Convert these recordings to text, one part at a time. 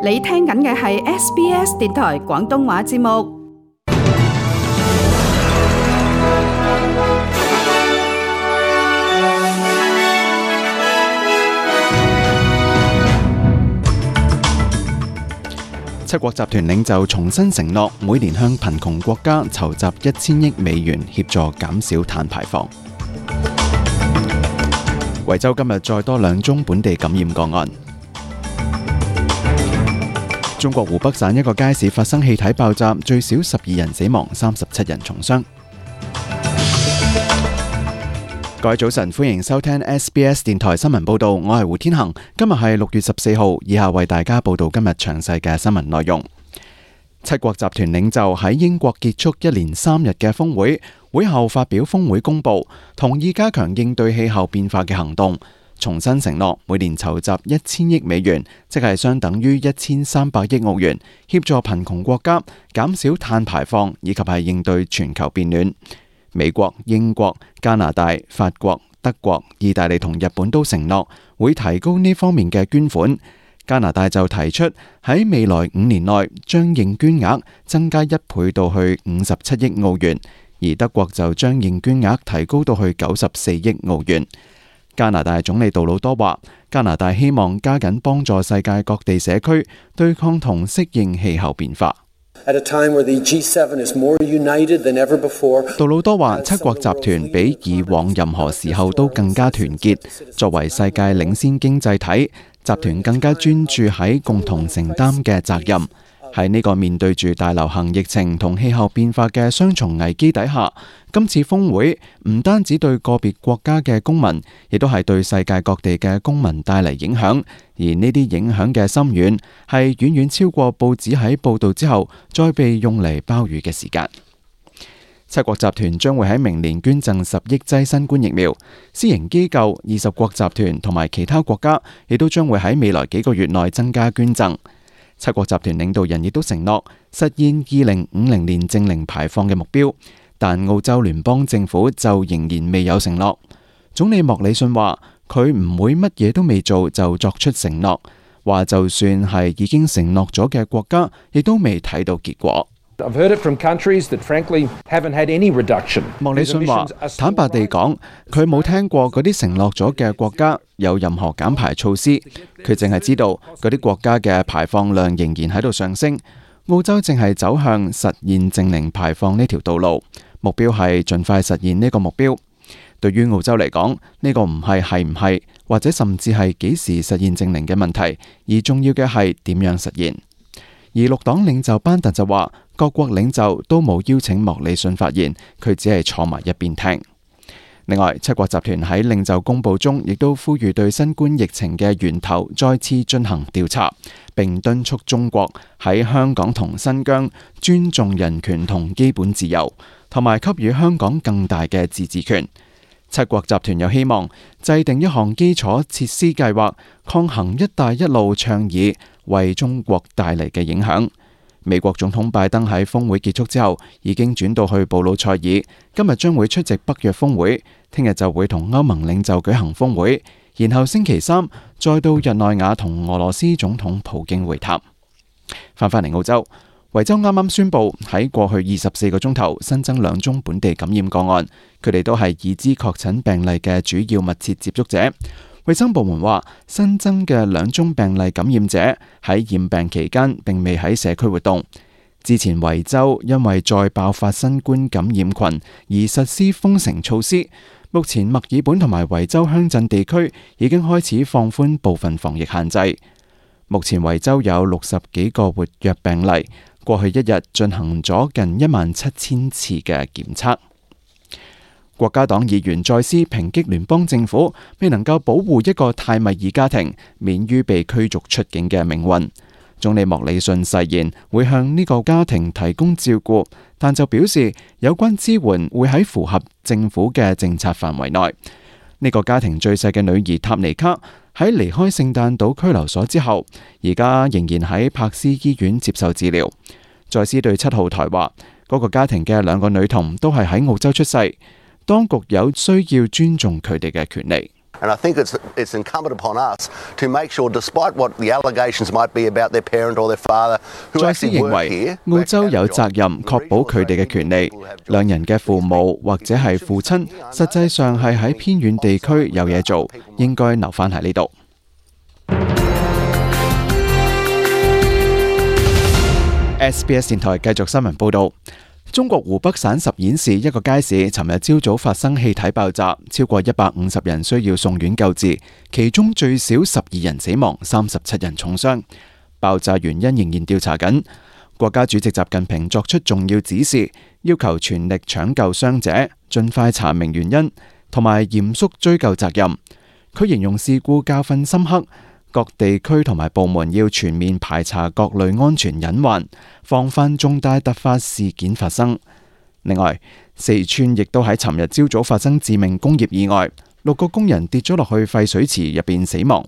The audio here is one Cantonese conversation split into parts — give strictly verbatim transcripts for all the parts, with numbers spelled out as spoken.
你聽緊嘅係 S B S 電台廣東話節目。七國集團領袖重新承諾，每年向貧窮國家籌集一千億美元，協助減少碳排放。維州今日再多兩宗本地感染個案。中國湖北省一個街市發生氣體爆炸，最少十二人死亡，三十七人重傷。各位早晨，歡迎收聽 S B S 電台新聞報道，我係胡天恒。今日係六月十四號，以下為大家報道今日詳細嘅新聞內容。七國集團領袖喺英國結束一連三日嘅峰會，會後發表峰會公報，同意加強應對氣候變化嘅行動，重新承諾每年籌集一千億美元，即係相等於一千三百億澳元，協助貧窮國家減少碳排放，以及係應對全球變暖。美國、英國、加拿大、法國、德國、意大利同日本都承諾會提高呢方面嘅捐款。加拿大就提出喺未來五年內將認捐額增加一倍到去五十七億澳元，而德國就將認捐額提高到去九十四億澳元。加拿大總理杜魯多話，加拿大希望加緊幫助世界各地社區對抗同適應氣候變化。At a time where the G seven is more united than ever before. 杜魯多話，七國集團比以往任何時候都更加團結。作為世界領先經濟體，集團更加專注喺共同承擔嘅責任。喺呢個面對住大流行疫情同氣候變化嘅雙重危機底下，今次峰會唔單止對個別國家嘅公民，亦都係對世界各地嘅公民帶嚟影響。而呢啲影響嘅深遠，係遠遠超過報紙喺報道之後再被用嚟鮑魚嘅時間。七國集團將會喺明年捐贈十億劑新冠疫苗，私營機構、二十國集團同埋其他國家亦都將會喺未來幾個月內增加捐贈。七國集團領導人亦都承諾實現二零五零年淨零排放嘅目標，但澳洲聯邦政府就仍然未有承諾。總理莫里遜話，佢唔會乜嘢都未做就作出承諾，話就算係已經承諾咗嘅國家，亦都未睇到結果。I've heard it from countries that frankly haven't had any reduction. 莫里遜話，坦白地講，佢冇聽過嗰啲承諾咗嘅國家有任何減排措施，佢淨係知道嗰啲國家嘅排放量仍然喺度上升。澳洲正係走向實現淨零排放呢條道路，目標係盡快實現呢個目標。對於澳洲嚟講，呢個唔係係唔係，或者甚至係幾時實現淨零嘅問題，而重要嘅係點樣實現。而綠黨領袖班特就話，各國領袖都冇邀請莫里遜發言，佢只係坐埋一邊聽。另外，七國集團喺領袖公報中亦都呼籲對新冠疫情嘅源頭再次進行調查，並敦促中國喺香港同新疆尊重人權同基本自由，同埋給予香港更大嘅自治權。七國集團又希望制定一項基礎設施計劃，抗衡一帶一路倡議為中國帶嚟嘅影響。美國總統拜登喺峰會結束之後已經轉到去布魯塞爾，今日將會出席北約峰會，聽日就會同歐盟領袖舉行峰會，然後星期三再到日內瓦同俄羅斯總統普京會談。翻返嚟澳洲，維州啱啱宣布喺過去二十四個鐘頭新增兩宗本地感染個案，佢哋都係已知確診病例嘅主要密切接觸者。衛生部門話，新增嘅兩宗病例感染者喺染病期間並未喺社區活動。之前維州因為再爆發新冠感染群而實施封城措施，目前墨爾本同埋維州鄉鎮地區已經開始放寬部分防疫限制。目前維州有六十幾個活躍病例，過去一日進行咗近一萬七千次嘅檢測。國家黨議員再次抨擊聯邦政府未能夠保護一個泰米爾家庭免於被驅逐出境嘅命運。總理莫里遜誓言會向呢個家庭提供照顧，但就表示有關支援會喺符合政府嘅政策範圍內。呢個家庭最細嘅女兒塔尼卡喺離開聖誕島拘留所之後，而家仍然喺柏斯醫院接受治療。再次對七號台話，嗰個家庭嘅兩個女童都係喺澳洲出世。當局有需要尊重佢哋嘅權利。And I think it's it's incumbent upon us to make sure, despite what the allegations might be about their parent or their father, who 再斯 actually 認 work 為 here, 澳洲有責任確保佢哋嘅權利。兩人嘅父母或者係父親，實際上係喺偏遠地區有嘢做，應該留返喺呢度。S B S 電台繼續新聞報導。中國湖北省十堰市一個街市，尋日朝早發生氣體爆炸，超過一百五十人需要送院救治，其中最少十二人死亡，三十七人重傷。爆炸原因仍然調查緊。國家主席習近平作出重要指示，要求全力搶救傷者，盡快查明原因，同埋嚴肅追究責任。佢形容事故教訓深刻。各地區同埋部門要全面排查各類安全隱患，防範重大突發事件發生。另外，四川亦都喺尋日朝早發生致命工業意外，六個工人跌咗落去廢水池入邊死亡。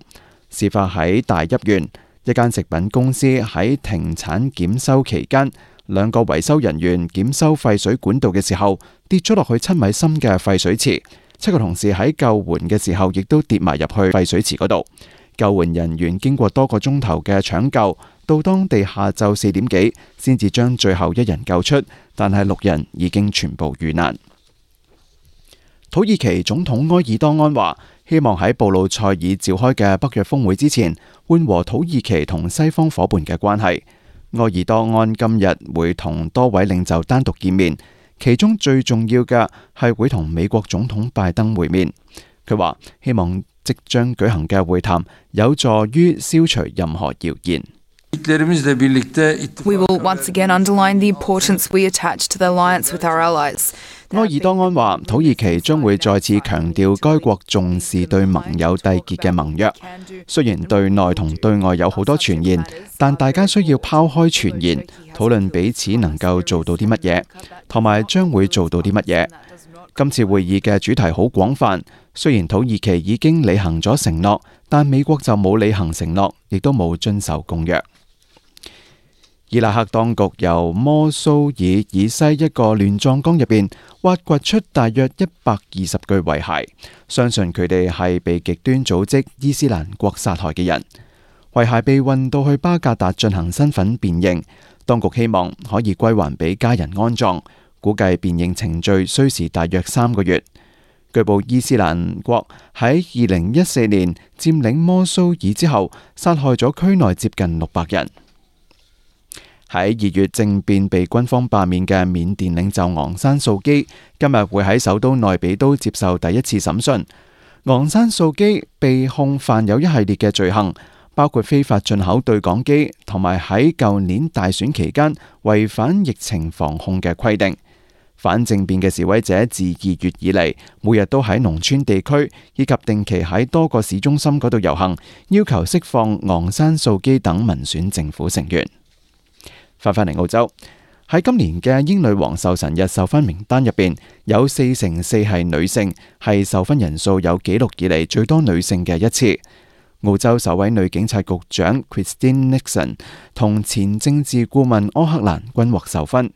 事發喺大邑縣，一間食品公司喺停產檢修期間，兩個維修人員檢修廢水管道嘅時候，跌咗落去七米深嘅廢水池。七個同事喺救援嘅時候，亦都跌埋入去廢水池嗰度。救援人員經過多個鐘頭嘅搶救，到當地下晝四點幾，先至將最後一人救出，但係六人已經全部遇難。土耳其總統埃爾多安話，希望喺布魯塞爾召開嘅北約峰會之前，緩和土耳其同西方伙伴嘅關係。埃爾多安今日會同多位領袖單獨見面，其中最重要嘅係會同美國總統拜登會面。佢話希望即將舉行嘅會談有助於消除任何謠言。We will once again underline the importance we attach to the alliance with our allies. 埃爾多安話，土耳其將會再次強調該國重視對盟友締結嘅盟約。雖然對內同對外有好多傳言，但大家需要拋開傳言，討論彼此能夠做到啲乜嘢，同埋將會做到啲乜嘢。今次會議嘅主題好廣泛，雖然土耳其已經履行咗承諾，但美國就冇履行承諾，亦都冇遵守公約。伊拉克當局由摩蘇爾以西一個亂葬崗入邊挖掘出大約一百二十具遺骸，相信佢哋係被極端組織伊斯蘭國殺害嘅人。遺骸被運到去巴格達進行身份辨認，當局希望可以歸還俾家人安葬，估計辨認程序需時大約三個月。據報伊斯蘭國喺二零一四年佔領摩蘇爾之後，殺害咗區內接近六百人。喺二月政變被軍方罷免嘅緬甸領袖昂山素基今日會喺首都內比都接受第一次審訊。昂山素基被控犯有一系列嘅罪行，包括非法進口對講機，同埋喺舊年大選期間違反疫情防控嘅規定。反政變嘅示威者自二月以嚟，每日都喺農村地區以及定期喺多個市中心嗰度遊行，要求釋放昂山素基等民選政府成員。翻返嚟澳洲，喺今年嘅英女王壽辰日授勳名單入邊，有四成四係女性，係授勳人數有紀錄以嚟最多女性嘅一次。澳洲首位女警察局長 Christine Nixon 同前政治顧問柯克蘭均獲授勳。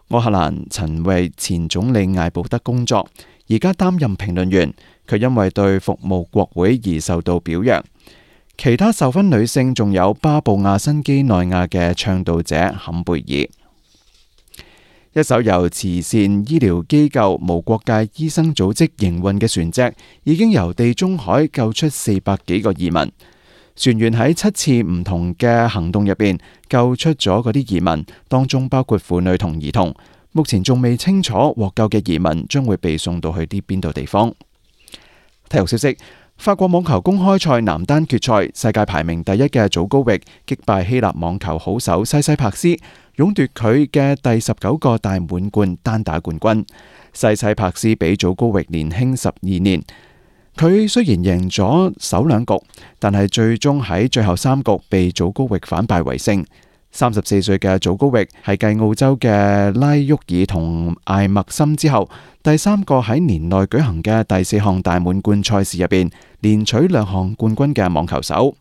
柯克蘭曾為前總理艾布德工作，而家擔任評論員。佢因為對服務國會而受到表揚。其他授勳女性仲有巴布亞新畿內亞嘅倡導者坎貝爾。一艘由慈善醫療機構無國界醫生組織營運嘅船隻，已經由地中海救出四百幾個移民。船員喺七次唔同嘅行動入邊救出咗嗰啲移民，當中包括婦女同兒童。目前仲未清楚獲救嘅移民將會被送到去啲邊度地方。體育消息。法國網球公開賽男單決賽，世界排名第一嘅祖高域擊敗希臘網球好手西西帕斯，勇奪佢嘅第十九個大滿貫單打冠軍。西西帕斯比祖高域年輕十二年，佢雖然贏咗首兩局，但係最終喺最後三局被祖高域反敗為勝。三十四歲嘅祖高域係繼澳洲嘅拉沃爾同艾默森之後，第三個喺年內舉行嘅第四項大滿貫賽事入邊連取兩項冠軍嘅網球手。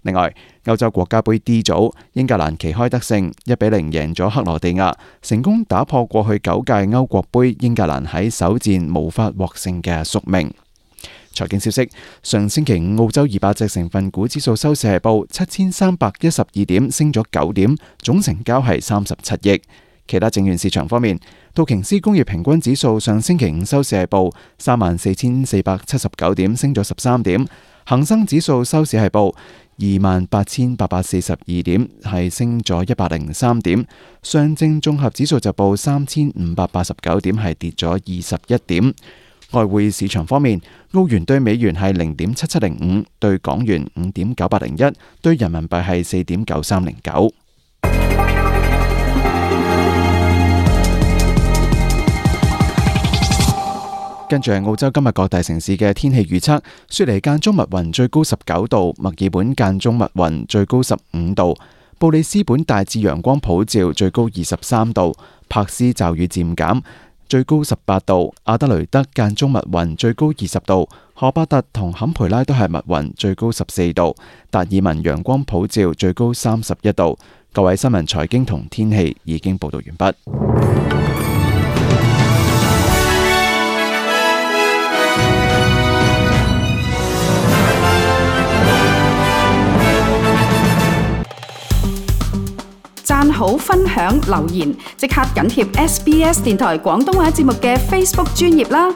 另外，歐洲國家盃 D 組，英格蘭旗開得勝，一比零贏咗克羅地亞，成功打破過去九屆歐國盃英格蘭喺首戰無法獲勝嘅宿命。財經消息，上星期五澳洲二百隻成分股指數收市係報七千三百一十二點，升咗九點，總成交係三十七億。其他證券市場方面，道瓊斯工業平均指數上星期五收市係報三萬四千四百七十九點，升咗十三點。恒生指數收市係報二萬八千八百四十二點，係升咗一百零三點。上證綜合指數就報三千五百八十九點，係跌咗二十一點。外匯市場方面，澳元對美元係零點七七零五，對港元五點九八零一，對人民幣係四點九三零九。跟住係澳洲今日各大城市嘅天氣預測：雪梨間中密雲，最高十九度；墨爾本間中密雲，最高十五度；布里斯本大致陽光普照，最高二十三度；柏斯驟雨漸減，最高十八度；阿德雷德間中密雲，最高二十度；荷伯特同坎培拉都係密雲，最高十四度；達爾文陽光普照，最高三十一度。各位新聞、財經同天氣已經報道完畢。讚好、分享、留言，即刻緊貼 S B S 電台廣東話節目嘅 Facebook 專頁啦！